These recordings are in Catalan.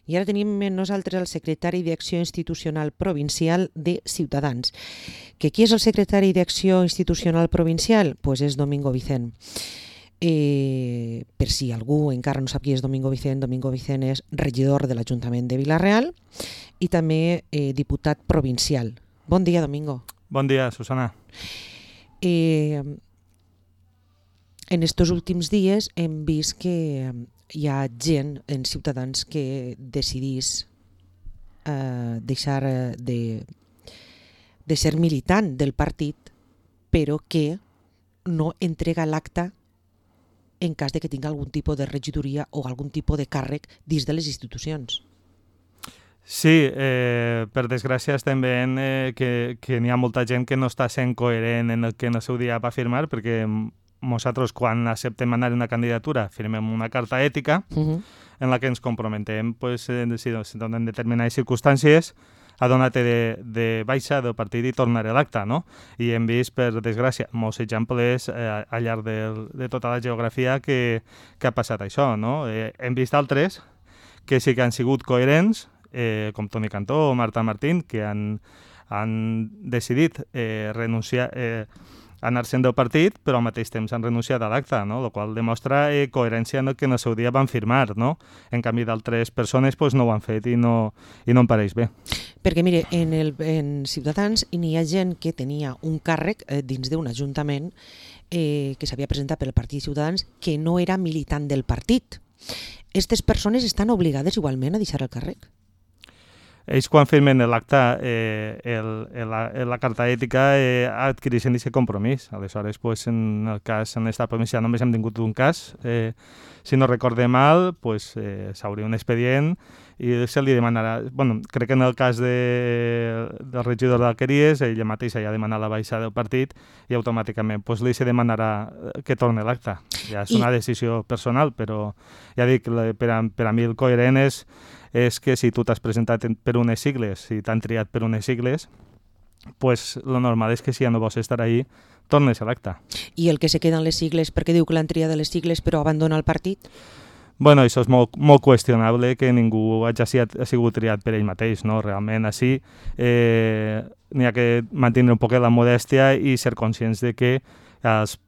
I ara tenim amb nosaltres el secretari d'Acció Institucional Provincial de Ciutadans. Que qui és el secretari d'Acció Institucional Provincial? Pues és Domingo Vicent. Per si algú encara no sap qui és Domingo Vicent és regidor de l'Ajuntament de Vila-real i també diputat provincial. Bon dia, Domingo. Bon dia, Susana. En estos últims dies hem vist que hi ha gent en Ciutadans que decidís deixar de ser militant del partit, però que no entrega l'acta en cas de que tinga algun tipus de regidoria o algun tipus de càrrec dins de les institucions. Sí, per desgràcia estem veient que n'hi ha molta gent que no està sent coherent en el que en el seu dia va firmar, perquè nosaltres quan acceptem anar a una candidatura firmem una carta ètica en la que ens comprometem si donen determinades circumstàncies a donar-te de baixa del partit i tornar a l'acte, no? I hem vist, per desgràcia, molts exemples al llarg de tota la geografia que ha passat això, no? Hem vist altres que sí que han sigut coherents, com Toni Cantó o Marta Martín, que han decidit renunciar anar-se'n del partit, però al mateix temps han renunciat a l'acte, no? El qual demostra coherència en el que en el seu dia van firmar, no? En canvi, d'altres persones no ho han fet i no em pareix bé. Perquè, mire, en Ciutadans n'hi ha gent que tenia un càrrec dins d'un ajuntament que s'havia presentat pel Partit Ciutadans que no era militant del partit. Aquestes persones estan obligades igualment a deixar el càrrec? Ells quan firmen l'acte, la carta ètica adquireixen aquest compromís. Aleshores, en el cas en l'estat provincial només hem tingut un cas. Si no recorde mal, s'hauria un expedient i se li demanarà... crec que en el cas del regidor d'Alqueries, ella mateixa ja ha demanat la baixa del partit i automàticament li se demanarà que torni l'acte. Ja és una decisió personal, però ja dic, per a mi el coherent és que si tu t'has presentat per unes sigles, si t'han triat per unes sigles, lo normal és que si ja no vols estar ahí, tornes a l'acte. I el que se queda en les sigles, perquè diu que l'han triat de les sigles però abandona el partit? Això és molt qüestionable que ningú hagi sigut triat per ell mateix, no? Realment, així n'hi ha que mantenir un poc la modèstia i ser conscients de que els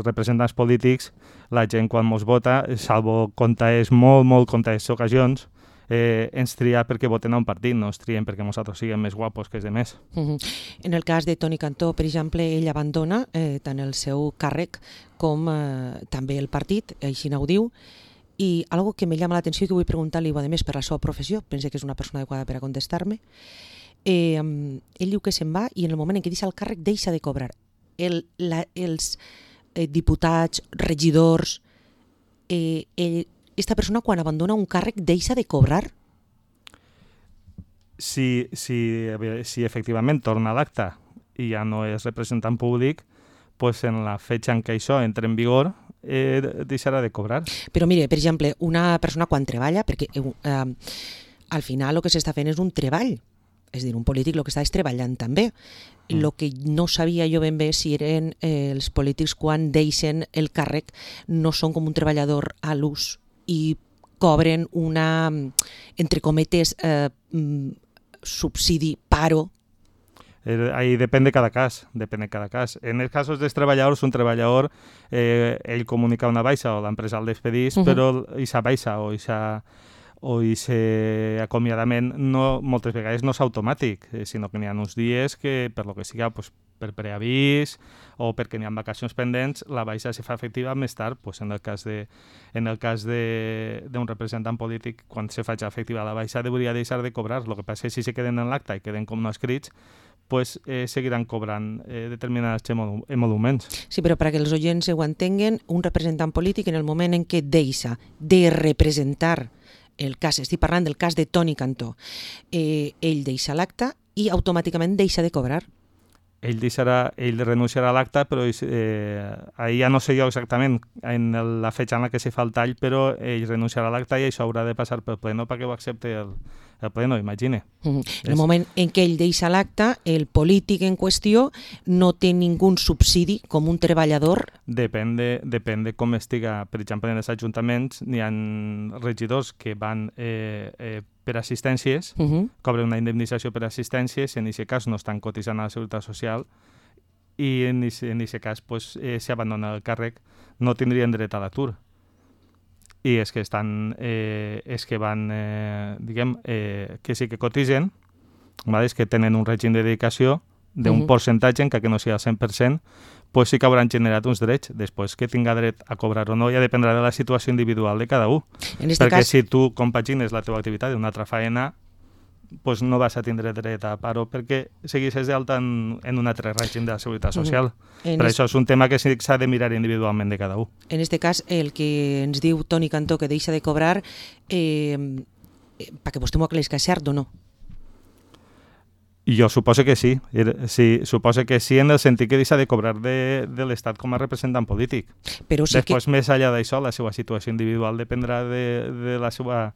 representants polítics, la gent quan mos vota, salvo comptades, molt comptades ocasions, ens tria perquè voten a un partit, no ens trien perquè nosaltres siguem més guapos que els demés. En el cas de Toni Cantó, per exemple, ell abandona tant el seu càrrec com també el partit, així ho diu, i algo que me llama l'atenció i que vull preguntar-li, a més, per la seva professió, penso que és una persona adequada per a contestar-me, ell diu que se'n va i en el moment en què deixa el càrrec deixa de cobrar. Els diputats, regidors, aquesta persona quan abandona un càrrec deixa de cobrar? Si efectivament torna a l'acte i ja no és representant públic, en la fetge en què això entra en vigor deixarà de cobrar. Però mire, per exemple, una persona quan treballa, perquè al final el que s'està fent és un treball, és a dir, un polític el que està és treballant també. El que no sabia jo ben bé si eren els polítics quan deixen el càrrec no són com un treballador a l'ús i cobren una, entre cometes, subsidi, paro. Ahí depèn de cada cas, En els casos dels treballadors, un treballador, ell comunica una baixa o l'empresa el despedís, però aquesta baixa o aquest acomiadament moltes vegades no és automàtic, sinó que n'hi ha uns dies que, per lo que siga, per preavís o perquè n'hi ha vacacions pendents, la baixa se fa efectiva més tard. En el cas d'un representant polític, quan se faci efectiva la baixa, hauria de deixar de cobrar. El que passa és que si se queden en l'acte i queden com no escrits, seguiran cobrant determinats emoluments. Sí, però perquè els oients ho entenguen, un representant polític en el moment en què deixa de representar el cas, estic parlant del cas de Toni Cantó, ell deixa l'acte i automàticament deixa de cobrar. Ell renunciarà a l'acte, però ahir ja no sé jo exactament en la fetge en la que se fa el tall, però ell renunciarà a l'acte i això haurà de passar pel pleno perquè ho accepti el Pleno, imagine. En el moment en què ell deixa l'acte, el polític en qüestió no té ningú subsidi com un treballador? Depèn de com estiga. Per exemple, en els ajuntaments n'hi ha regidors que van per assistències, cobren una indemnització per assistències, en aquest cas no estan cotitzant a la Seguretat Social, i en aquest cas, si abandona el càrrec, no tindrien dret a l'atur. I és que van, que sí que cotitzen, és que tenen un règim de dedicació d'un percentatge, encara que no sigui al 100%, pues sí que hauran generat uns drets. Després, que tinga dret a cobrar o no, ja dependrà de la situació individual de cada un. Perquè si tu compagines la teva activitat d'una altra faena, pues no vas a tindre dret a paro perquè seguissis d'alta en un altre règim de la Seguretat Social. Per això és un tema que s'ha de mirar individualment de cada un. En aquest cas, el que ens diu Toni Cantó que deixa de cobrar, perquè vostè m'ho aclareix, que és cert o no? Jo suposo que sí. Suposo que sí, en el sentit que deixa de cobrar de l'Estat com a representant polític. Però sí després, més enllà d'això, la seva situació individual dependrà de la seva...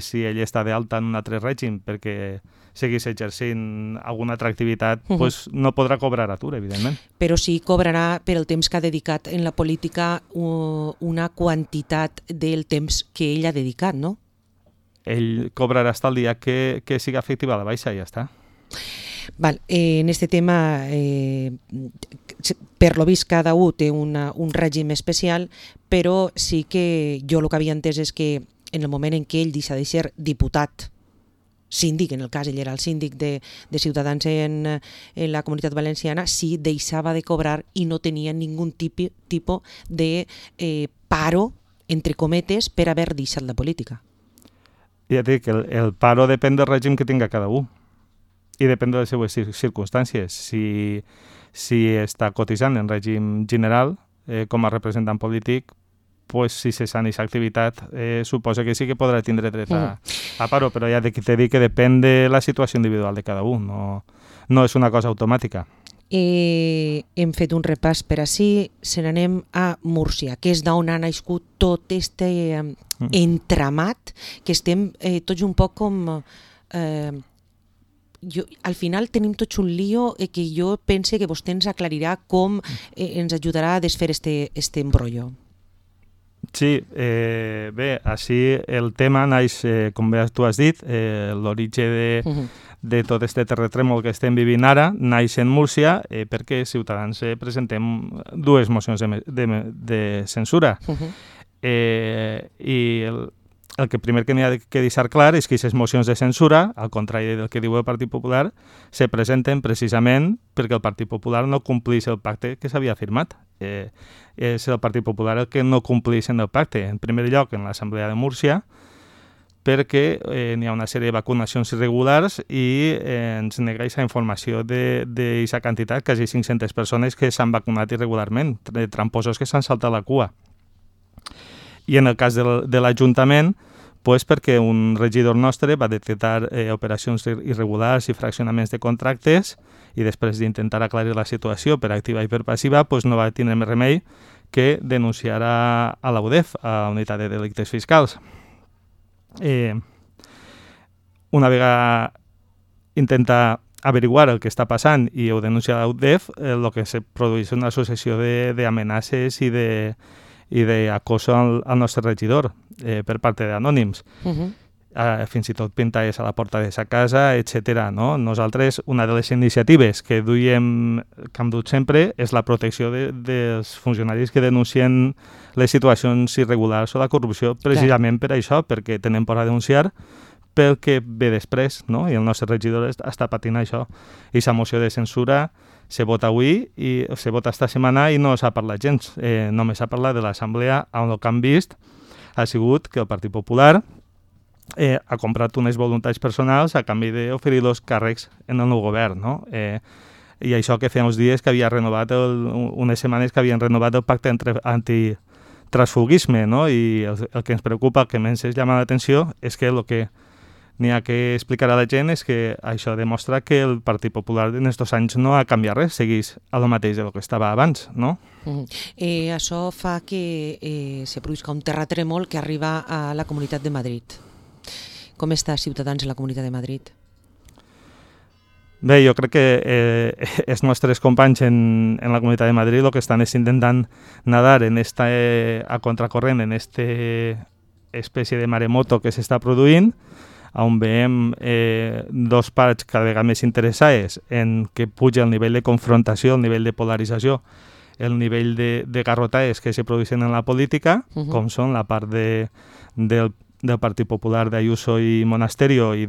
Si ell està d'alta en un altre règim perquè seguís exercint alguna altra activitat, pues no podrà cobrar atur, evidentment. Però sí cobrarà per el temps que ha dedicat en la política una quantitat del temps que ell ha dedicat, no? Ell cobrarà fins al dia que siga efectiva la baixa i ja està. Val, en este tema, per lo vist, cada un té un règim especial, però sí que jo el que havia entès és que en el moment en què ell deixa de ser diputat, síndic, en el cas ell era el síndic de Ciutadans en la Comunitat Valenciana, sí deixava de cobrar i no tenia ningun tipus de paro, entre cometes, per haver deixat la política. Ja et dic, el paro depèn del règim que tinga cada un i depèn de les seues circumstàncies. Si està cotitzant en règim general com a representant polític, pues si cessa aquesta activitat, suposa que sí que podrà tindre dret a paro, però ja t'he dit que depèn de la situació individual de cada un, no és una cosa automàtica. Hem fet un repàs per ací, se n'anem a Múrcia, que és d'on ha nascut tot aquest entramat, que estem tots un poc com... al final tenim tots un lío que jo pense que vostè ens aclarirà com ens ajudarà a desfer este embrollo. Sí, bé, així el tema naix, com bé tu has dit, l'origen de tot aquest terratrèmol que estem vivint ara naix en Múrcia perquè Ciutadans presentem dues mocions de censura. I el que primer que n'hi ha que deixar clar és que aquestes mocions de censura, al contrari del que diu el Partit Popular, se presenten precisament perquè el Partit Popular no complís el pacte que s'havia firmat. És el Partit Popular el que no complís en el pacte. En primer lloc, en l'Assemblea de Múrcia, perquè n'hi ha una sèrie de vacunacions irregulars i ens nega aquesta informació d'aquesta quantitat, quasi 500 persones que s'han vacunat irregularment, tramposos que s'han saltat la cua. I en el cas de l'Ajuntament, perquè un regidor nostre va detectar operacions irregulars i fraccionaments de contractes i després d'intentar aclarir la situació per activa i per passiva, no va tenir més remei que denunciar a la UDEF, a la Unitat de Delictes Fiscals. Una vegada intenta averiguar el que està passant i ho denuncia a la UDEF, el que se produeix una successió d'amenaces i d'acoso al nostre regidor per part d'anònims. Fins i tot pintalles a la porta de sa casa, etc. Nosaltres, una de les iniciatives que hem dut sempre és la protecció dels funcionaris que denuncien les situacions irregulars o la corrupció, precisament per això, perquè tenen por a denunciar pel que ve després, i el nostre regidor està patint això. I la moció de censura se vota avui i se vota esta setmana i no s'ha parlat gens. Només s'ha parlat de l'Assemblea, on el que han vist ha sigut que el Partit Popular ha comprat unes voluntats personals a canvi d'oferir-los càrrecs en el nou govern. I això que feia uns dies que havia renovat, unes setmanes que havien renovat el pacte antitransfugisme, i el que ens preocupa, el que més ens llama l'atenció, és que el que n'hi ha que explicar a la gent és que això demostra que el Partit Popular en aquests anys no ha canviat res, segueix a lo mateix del que estava abans, no? Això fa que se produïsca un terratrèmol que arriba a la Comunitat de Madrid. Com està Ciutadans en la Comunitat de Madrid? Bé, jo crec que els nostres companys en la Comunitat de Madrid el que estan és intentant nadar a contracorrent en esta espècie de maremoto que s'està produint, on veiem dos parts cada vegada més interessades en que puja el nivell de confrontació, el nivell de polarització, el nivell de garrotades que se produeixen en la política, com són la part del Partit Popular d'Ayuso i Monasterio i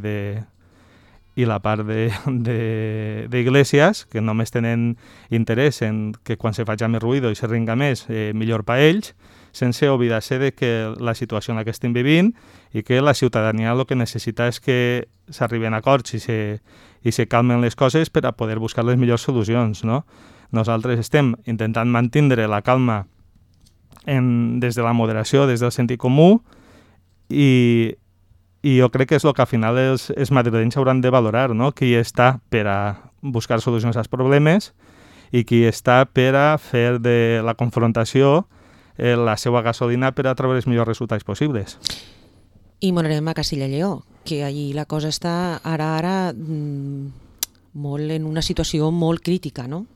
la part d'Iglesias, que només tenen interès en que quan se faci més ruïdo i se ringa més, millor per ells, sense oblidar-se de que la situació en la que estem vivint i que la ciutadania el que necessita és que s'arriben a acords i se calmen les coses per a poder buscar les millors solucions, no? Nosaltres estem intentant mantenir la calma des de la moderació, des del sentit comú, i jo crec que és el que al final els madrilenys hauran de valorar, no? Qui està per a buscar solucions als problemes i qui està per a fer de la confrontació la seva gasolina per a treure els millors resultats possibles. I m'anarem a Castilla i Lleó, que allí la cosa està ara molt en una situació molt crítica, no?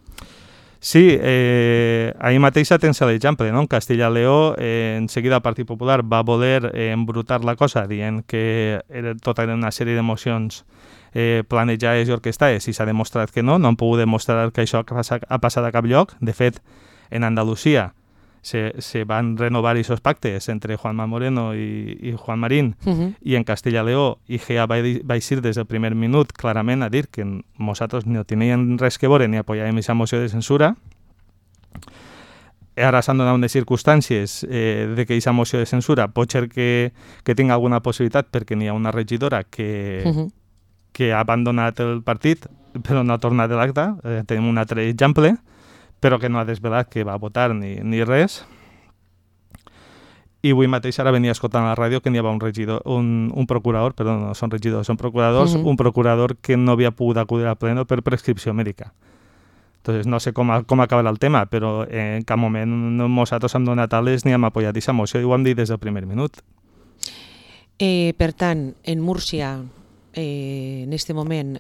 Sí, ahir mateix tens l'exemple, no? En Castilla i Lleó, en seguida el Partit Popular va voler embrutar la cosa dient que tota era una sèrie d'emocions planejades i orquestades, i s'ha demostrat que no han pogut demostrar que això ha passat a cap lloc. De fet, en Andalusia se van renovar aquests pactes entre Juanma Moreno i Juan Marín, i en Castilla i Lleó IGEA va eixir des del primer minut clarament a dir que nosaltres no tenien res que veure ni apoyàvem aquesta moció de censura. Ara s'han donat unes circumstàncies de que aquesta moció de censura pot ser que tingui alguna possibilitat perquè n'hi ha una regidora que ha abandonat el partit però no ha tornat a l'acte. Tenim un altre exemple, però que no ha desvelat que va votar ni res. I avui mateix ara venia escoltant a la ràdio que n'hi havia un procurador, perdó, no són regidors, són procuradors, un procurador que no havia pogut acudir al pleno per prescripció mèdica. Entonces, no sé com acabarà el tema, però en cap moment nosaltres hem donat ales ni hem apoyat aquesta moció, i ho hem dit des del primer minut. Per tant, en Múrcia, en aquest moment,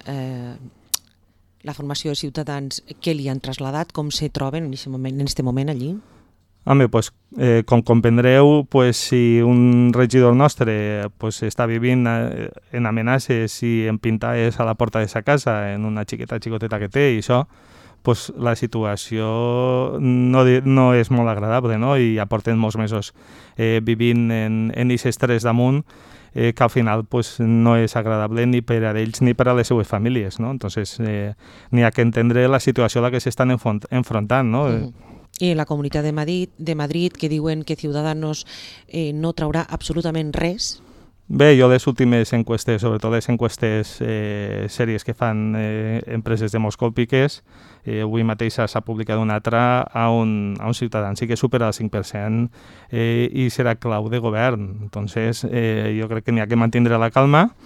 la formació de Ciutadans, què li han traslladat? Com se troben en aquest moment allí? Home, pues, com comprendreu, pues, si un regidor nostre pues, està vivint en amenaces i en pintades a la porta de sa casa, en una xicoteta que té i això, pues, la situació no és molt agradable, no? I ja porten molts mesos vivint en aquest estrès damunt, que al final pues, no és agradable ni per a ells ni per a les seues famílies, no? Entonces, n'hi ha que entendre la situació a la que s'estan enfrontant, no? I la Comunitat de Madrid, que diuen que Ciudadanos no traurà absolutament res. Bé, jo les últimes enquestes, sobretot les enquestes sèries que fan empreses demoscòpiques, avui mateix s'ha publicat una altra a un ciutadà, sí que supera el 5% i serà clau de govern. Entonces, jo crec que n'hi ha que mantenir la calma.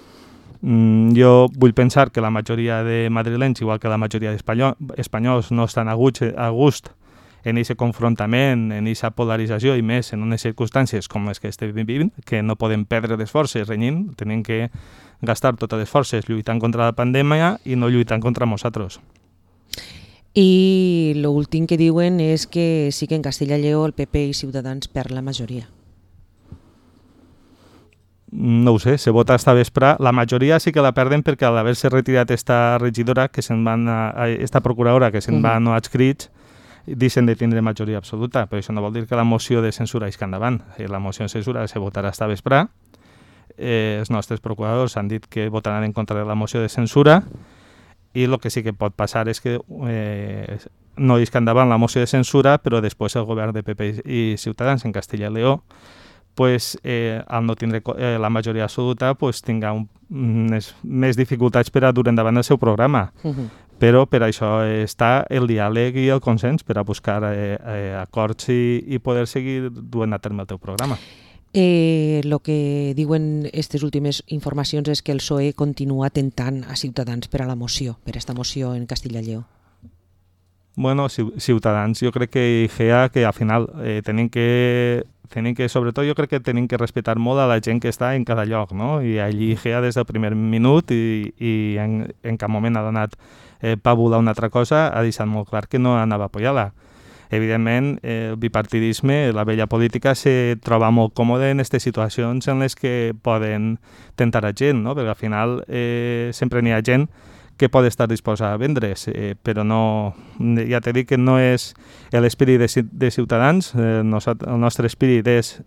Jo vull pensar que la majoria de madrilenys, igual que la majoria d'espanyols, no estan a gust en aquest confrontament, en aquesta polarització, i més en unes circumstàncies com les que estem vivint, que no podem perdre les forces renyint, tenim que gastar totes les forces lluitant contra la pandèmia i no lluitant contra nosaltres. I l'últim que diuen és que sí que en Castilla i Lleó el PP i Ciutadans perd la majoria. No ho sé, se vota esta vespre. La majoria sí que la perden perquè al haver-se retirat esta regidora, esta procuradora que se'n va a no adscrits, deixen de tindre majoria absoluta, però això no vol dir que la moció de censura isca endavant. La moció de censura se votarà esta vespre. Els nostres procuradors han dit que votaran en contra de la moció de censura, i el que sí que pot passar és que no isca endavant la moció de censura, però després el govern de PP i Ciutadans en Castilla i Lleó, pues, al no tindre la majoria absoluta, pues, tinga més dificultats per a dur endavant el seu programa. Però per això està el diàleg i el consens per a buscar acords i poder seguir duent a terme el teu programa. El que diuen aquestes últimes informacions és que el PSOE continua tentant a Ciutadans per a la moció, per a aquesta moció en Castilla i Lleó. Bueno, Ciutadans, jo crec que IGEA, que al final tenim que sobretot jo crec que tenim que respectar molt a la gent que està en cada lloc, no? I allí IGEA des del primer minut i en cap moment ha donat pàbul a una altra cosa, ha deixat molt clar que no anava a apoyar-la. Evidentment, el bipartidisme, la vella política, se troba molt còmode en aquestes situacions en les que poden tentar a gent, no? Perquè al final sempre n'hi ha gent que pot estar disposada a vendre's, però no, ja t'he dit que no és l'espírit de Ciutadans, el nostre espírit és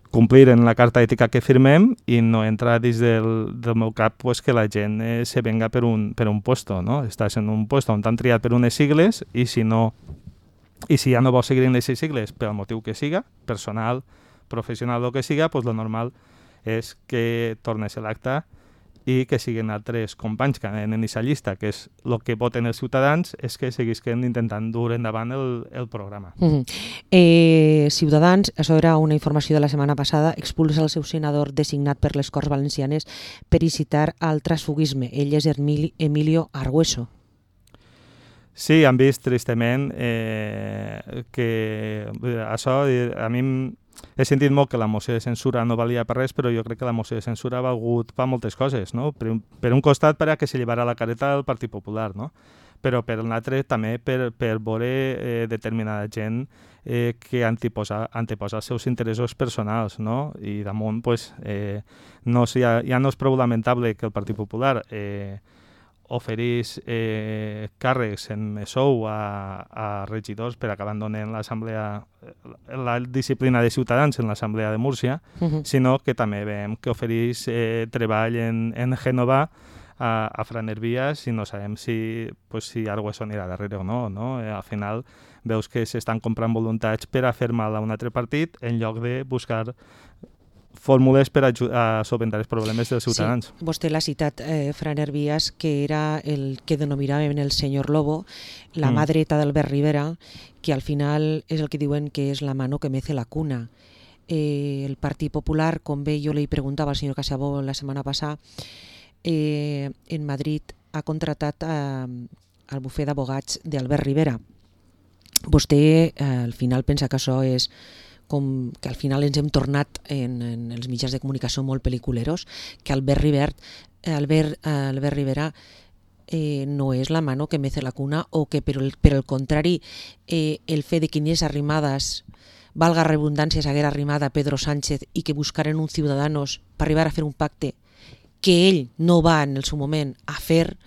complir en la carta ètica que firmem i no entrar dins del meu cap pues, que la gent se venga per un puesto, no? Estàs en un puesto on t'han triat per unes sigles i si ja no vols seguir en aquestes sigles pel motiu que siga, personal, professional o que siga, pues lo normal és que tornes a l'acte i que siguin altres companys que anen en aquesta llista, que és el que voten els ciutadans, és que seguisquen intentant dur endavant el programa. Ciutadans, això era una informació de la setmana passada, expulsa el seu senador designat per les Corts Valencianes per incitar al transfugisme. Ell és Emilio Argüeso. Sí, han vist tristament que això a mi he sentit molt que la moció de censura no valia per res, però jo crec que la moció de censura ha valgut per moltes coses, no? Per un costat, perquè se llevara la careta del Partit Popular, no? Però per l'altre també per veure determinada gent que anteposa els seus interessos personals, no? I damunt, pues, ja no és prou lamentable que el Partit Popular oferís càrrecs en sou a regidors per a que abandonen la disciplina de Ciutadans en l'Assemblea de Múrcia, sinó que també veiem que oferís treball en Gènova a Fran Hervías i no sabem si Argüeso anirà darrere o no, no? Al final veus que s'estan comprant voluntats per a fer mal a un altre partit en lloc de buscar fórmules per a solventar els problemes dels ciutadans. Sí, vostè l'ha citat, Fran Hervías, que era el que denominaven el senyor Lobo, la mà dreta d'Albert Rivera, que al final és el que diuen que és la mano que mece la cuna. El Partit Popular, com bé jo li preguntava al senyor Casabó la setmana passada, en Madrid ha contratat el bufet d'abogats d'Albert Rivera. Vostè al final pensa que això és com que al final ens hem tornat en els mitjans de comunicació molt pel·liculeros, que Albert Rivera no és la mano que mece la cuna, o que per el contrari el fet de que Inés Arrimadas, valga redundància, s'haguera arrimat a Pedro Sánchez i que buscaren uns ciutadanos per arribar a fer un pacte que ell no va en el seu moment a fer,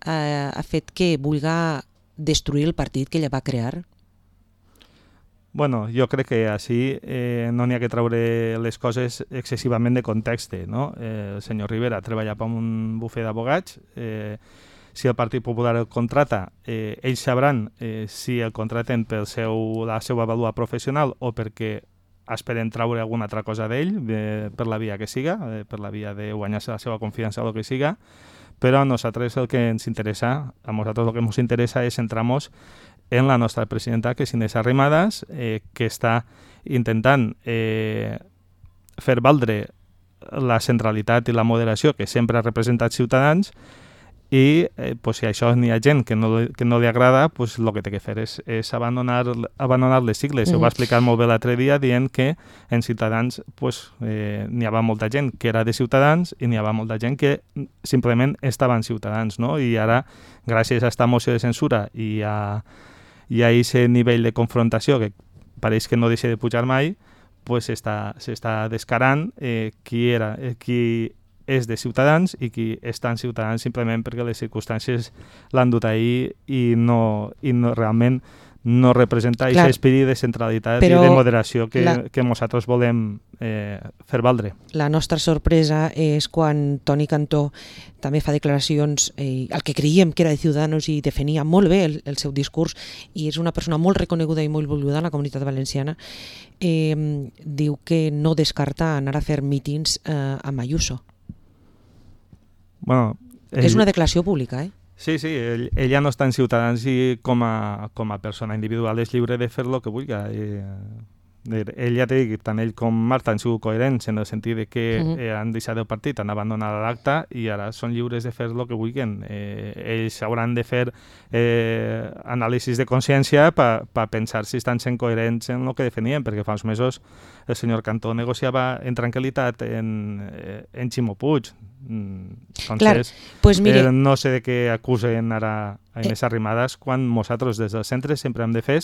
ha fet que vulgui destruir el partit que ella va crear? Bueno, jo crec que així no n'hi ha que treure les coses excessivament de context, no? El senyor Rivera treballa per un bufet d'abogats, si el Partit Popular el contrata, ells sabran si el contraten per la seva vàlua professional o perquè esperen treure alguna altra cosa d'ell, per la via que siga, per la via de guanyar-se la seva confiança o el que siga, però a nosaltres el que ens interessa, és centrar-nos en la nostra presidenta, que és Inés Arrimadas, que està intentant fer valdre la centralitat i la moderació que sempre ha representat Ciutadans, i si a això n'hi ha gent que no li agrada, el que té que fer és abandonar les sigles. Ho va explicar molt bé l'altre dia dient que en Ciutadans n'hi havia molta gent que era de Ciutadans i n'hi havia molta gent que simplement estava en Ciutadans, no? I ara, gràcies a aquesta moció de censura i a aquest nivell de confrontació que pareix que no deixa de pujar mai, s'està descarant qui és de Ciutadans i qui està en Ciutadans simplement perquè les circumstàncies l'han dut ahir i realment no representa aquest espírit de centralitat i de moderació que nosaltres volem fer valdre. La nostra sorpresa és quan Toni Cantó també fa declaracions, el que creiem que era de Ciudadanos i defenia molt bé el seu discurs, i és una persona molt reconeguda i molt volguda en la comunitat valenciana, diu que no descarta anar a fer mítings amb Ayuso. Bueno, és una declaració pública, Sí, ella no està en Ciutadans i com a persona individual és lliure de fer el que vulgui. Ell ja t'he dit, tant ell com Marta han sigut coherents en el sentit de que han deixat el partit, han abandonat l'acte i ara són lliures de fer el que vulguin. Ells hauran de fer anàlisis de consciència per pensar si estan sent coherents en el que definien, perquè fa uns mesos el senyor Cantó negociava en tranquil·litat en Ximo Puig. Entonces, pues mire, no sé de què acusen ara a Inés Arrimadas quan nosaltres des del centre sempre hem de fer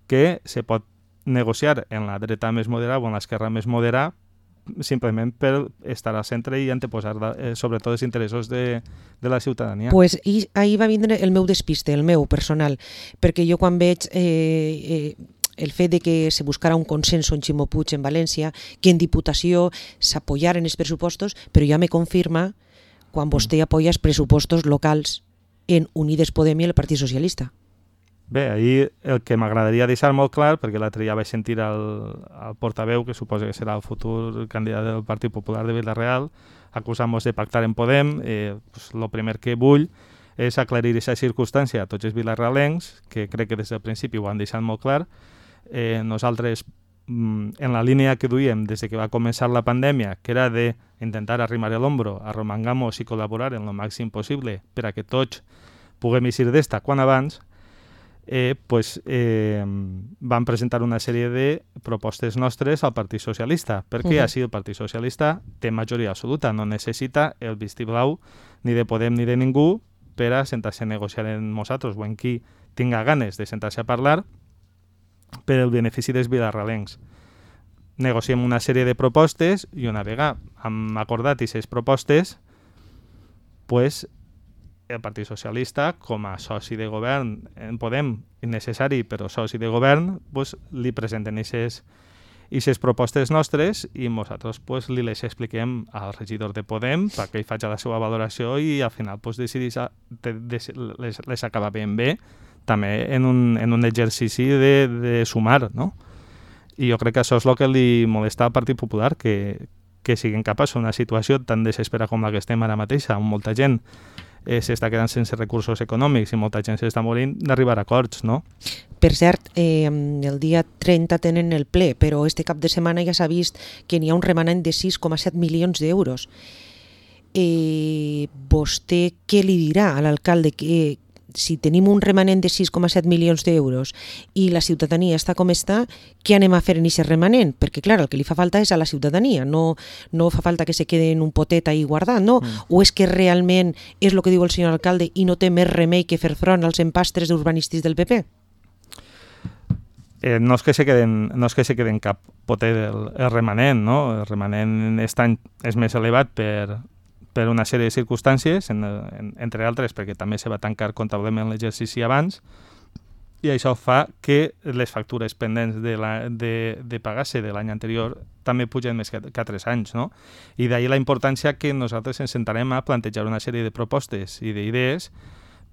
que se pot negociar en la dreta més moderada o en l'esquerra més moderada simplement per estar al centre i anteposar sobretot els interessos de la ciutadania. Pues ahir va vindre el meu despiste, el meu personal, perquè jo quan veig el fet de que se buscara un consenso en Ximo Puig en València, que en Diputació s'apoyaren els pressupostos, però ja me confirma quan vostè apoya els pressupostos locals en Unides Podem i el Partit Socialista. Bé, ahir el que m'agradaria deixar molt clar, perquè l'altre dia vaig sentir el portaveu, que suposa que serà el futur candidat del Partit Popular de Vila-real, acusant-nos de pactar en Podem, el primer que vull és aclarir aquesta circumstància a tots els vilarealencs, que crec que des del principi ho han deixat molt clar. Nosaltres, en la línia que duíem des que va començar la pandèmia, que era d'intentar arrimar l'hombro, arromangamos i col·laborar en el màxim possible per a que tots puguem eixir d'esta quan abans, van presentar una sèrie de propostes nostres al Partit Socialista, perquè així el Partit Socialista té majoria absoluta, no necessita el vistiplau ni de Podem ni de ningú per a sentar-se a negociar amb nosaltres o en qui tinga ganes de sentar-se a parlar per el benefici dels vilarealencs. Negociem una sèrie de propostes i una vegada hem acordat aquestes propostes, pues, el Partit Socialista, com a soci de govern, en Podem, innecessari, però soci de govern, pues, li presenten aquestes propostes nostres i nosaltres pues, li les expliquem al regidor de Podem perquè ell faci la seva valoració i al final pues, les acaba ben bé, també en un exercici de sumar, no? I jo crec que això és el que li molesta al Partit Popular, que siguin capaços d'una situació tan desesperada com la que estem ara mateixa, on molta gent s'està quedant sense recursos econòmics i molta gent s'està morint, d'arribar a acords, no? Per cert, el dia 30 tenen el ple, però este cap de setmana ja s'ha vist que n'hi ha un remanent de 6,7 milions d'euros. Vostè què li dirà a l'alcalde que si tenim un remanent de 6,7 milions d'euros i la ciutadania està com està, què anem a fer en aquest remanent? Perquè, clar, el que li fa falta és a la ciutadania, no fa falta que se quede en un potet ahí guardat, no? O és que realment és el que diu el senyor alcalde i no té més remei que fer front als empastres urbanístics del PP? No és que se queden cap potet el remanent, no? El remanent és més elevat per una sèrie de circumstàncies, entre altres perquè també se va tancar comptablement l'exercici abans, i això fa que les factures pendents de pagar-se de l'any anterior també pugen més que 3 anys, no? I d'ahir la importància que nosaltres ens sentarem a plantejar una sèrie de propostes i d'idees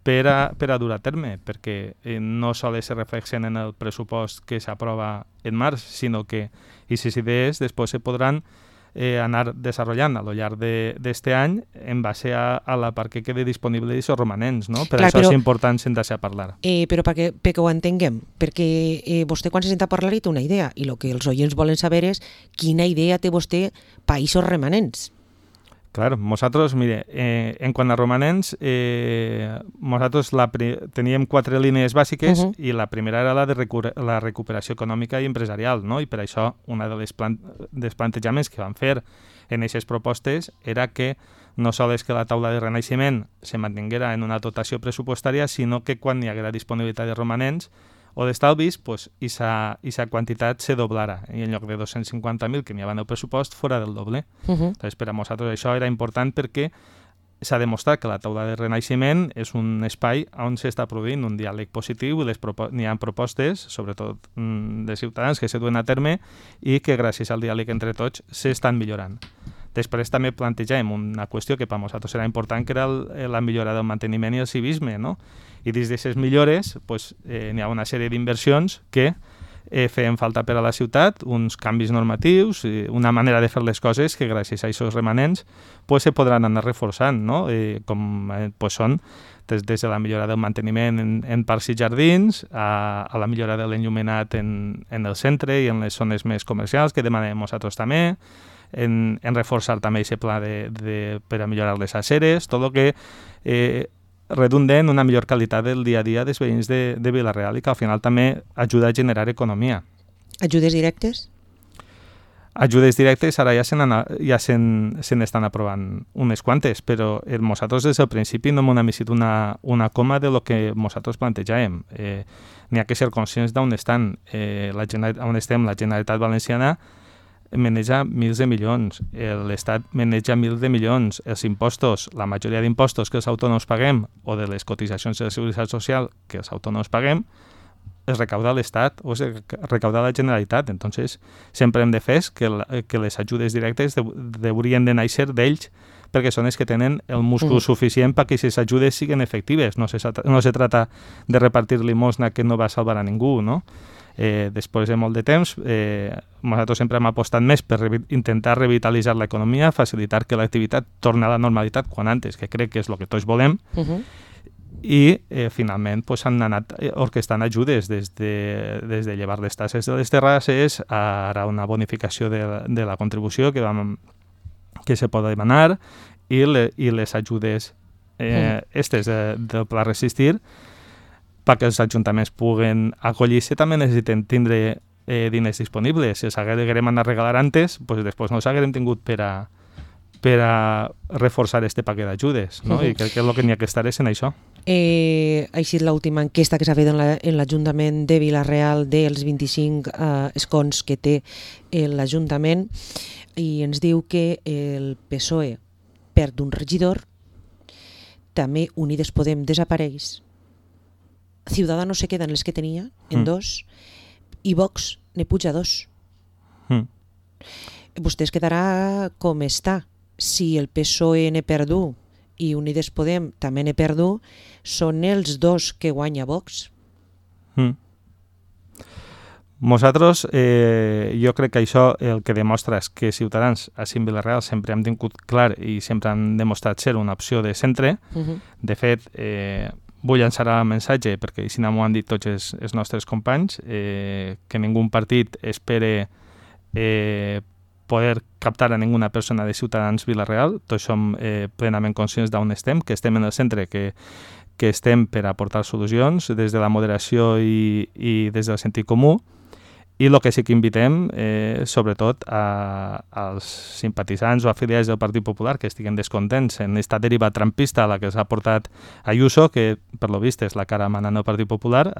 per a dur a terme, perquè no sols se reflexen en el pressupost que s'aprova en març, sinó que aquestes idees després se podran anar desenvolupant a lo llarg d'este any en base a la part que quede disponible d'aquests romanents, no? Per això és important sentar-se a parlar. Però perquè ho entenguem, perquè vostè quan se senta a parlar té una idea i el que els oients volen saber és quina idea té vostè per aquests remanents. Clar, nosaltres, mire, en quant a romanents, nosaltres teníem 4 línies bàsiques i la primera era la de la recuperació econòmica i empresarial, no? I per això un dels plantejaments que vam fer en aquestes propostes era que no sols que la taula de renaixement se mantinguera en una dotació pressupostària, sinó que quan hi haguera disponibilitat de romanents o d'estalvis, pues, aquesta quantitat se doblara i en lloc de 250.000 que n'hi havia en el pressupost fora del doble. Entonces, per a nosaltres això era important perquè s'ha demostrat que la taula de renaixement és un espai on s'està produint un diàleg positiu i n'hi ha propostes, sobretot de ciutadans, que se duen a terme i que gràcies al diàleg entre tots s'estan millorant. Després també plantegem una qüestió que per a nosaltres era important, que era la millora del manteniment i el civisme, no? I dins d'aquestes millores n'hi ha una sèrie d'inversions que feien falta per a la ciutat, uns canvis normatius, una manera de fer les coses que gràcies a aquests remanents pues, se podran anar reforçant, no? Com pues, són des de la millora del manteniment en parcs i jardins a la millora de l'enllumenat en el centre i en les zones més comercials que demanem nosaltres també, en reforçar també aquest pla per a millorar les aceres, tot el que redunda en una millor qualitat del dia a dia dels veïns de Vila-real i que al final també ajuda a generar economia. Ajudes directes? Ajudes directes ara ja se n'estan aprovant unes quantes, però nosaltres des del principi no hem emitit una coma de lo que nosaltres plantejàvem. N'hi ha que ser conscients d'on estan. On estem, la Generalitat Valenciana maneja milers de milions, l'Estat maneja milers de milions, els impostos, la majoria d'impostos que els autònoms paguem o de les cotitzacions de la Seguretat Social que els autònoms paguem, es recauda l'Estat o es recauda la Generalitat. Entonces, sempre hem de fer que les ajudes directes haurien de néixer d'ells perquè són els que tenen el múscul suficient perquè aquestes ajudes siguin efectives. No se trata de repartir limosna que no va a salvar a ningú, no? Després de molt de temps, nosaltres sempre hem apostat més per intentar revitalitzar l'economia, facilitar que l'activitat torni a la normalitat quan antes, que crec que és el que tots volem, i finalment s'han anat orquestant ajudes des de llevar les tasses de les terrasses a ara una bonificació de la contribució que se pot demanar i les ajudes estes del Pla Resistir perquè els ajuntaments puguen acollir-se també necessiten tindre diners disponibles. Si els haguérem anat a regalar antes, després no els haguérem tingut per a reforçar este paquet d'ajudes, no? I crec que el que n'hi ha que estar és en això. Ha sigut l'última enquesta que s'ha fet en l'Ajuntament de Vila-real dels 25 escons que té l'Ajuntament i ens diu que el PSOE perd un regidor, també Unides Podem desapareix, Ciudadanos se queden les que tenia, en 2, i Vox ne puja 2. Vostè es quedarà com està. Si el PSOE ne perdu i Unides Podem també ne perdu, són els dos que guanya Vox. Nosaltres, jo crec que això el que demostra és que Ciutadans a Vila-real sempre hem tingut clar i sempre han demostrat ser una opció de centre. De fet, vull llançar el missatge, perquè així m'ho han dit tots els nostres companys, que ningú partit espere poder captar a ninguna persona de Ciutadans Vila-real. Tots som plenament conscients d'on estem, que estem en el centre, que estem per aportar solucions des de la moderació i des del sentit comú. I el que sí que invitem, sobretot, als simpatitzants o afiliats del Partit Popular que estiguen descontents en aquesta deriva trampista a la que s'ha portat Ayuso, que per lo vist és la cara manant del Partit Popular,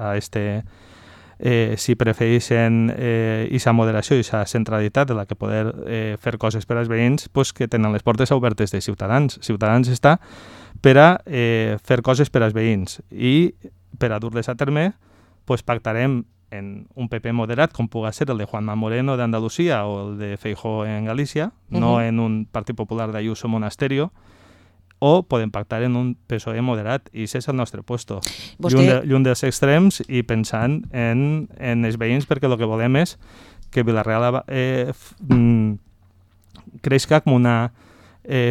si prefereixen aquesta moderació i aquesta centralitat de la que poder fer coses per als veïns, que tenen les portes obertes de Ciutadans. Ciutadans està per a fer coses per als veïns i per a dur-les a terme pactarem en un PP moderat, com puga ser el de Juanma Moreno d'Andalusia o el de Feijóo en Galícia, no en un Partit Popular d'Ayuso Monasterio, o podem pactar en un PSOE moderat, i aquest és el nostre puesto. Lluny dels extrems i pensant en els veïns, perquè el que volem és que Vila-real creixi com una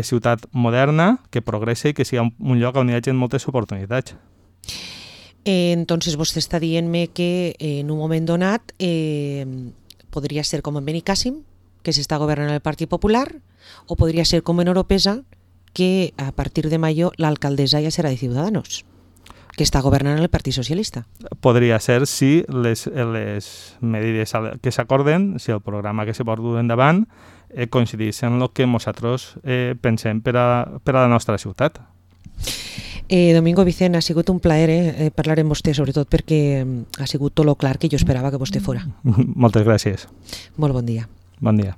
ciutat moderna, que progressi i que sigui un lloc on hi hagi moltes oportunitats. Entonces vostè està dient-me que en un moment donat podria ser com en Benicàssim, que s'està governant el Partit Popular, o podria ser com en Oropesa, que a partir de mayo l'alcaldessa ja serà de Ciudadanos, que està governant el Partit Socialista. Podria ser si les medides que s'acorden, si el programa que se pot dur endavant coincideix en el que nosaltres pensem per a la nostra ciutat. Domingo Vicent, ha sigut un plaer parlar amb vostè, sobretot perquè ha sigut tot lo clar que jo esperava que vostè fora. Moltes gràcies. Molt bon dia. Bon dia.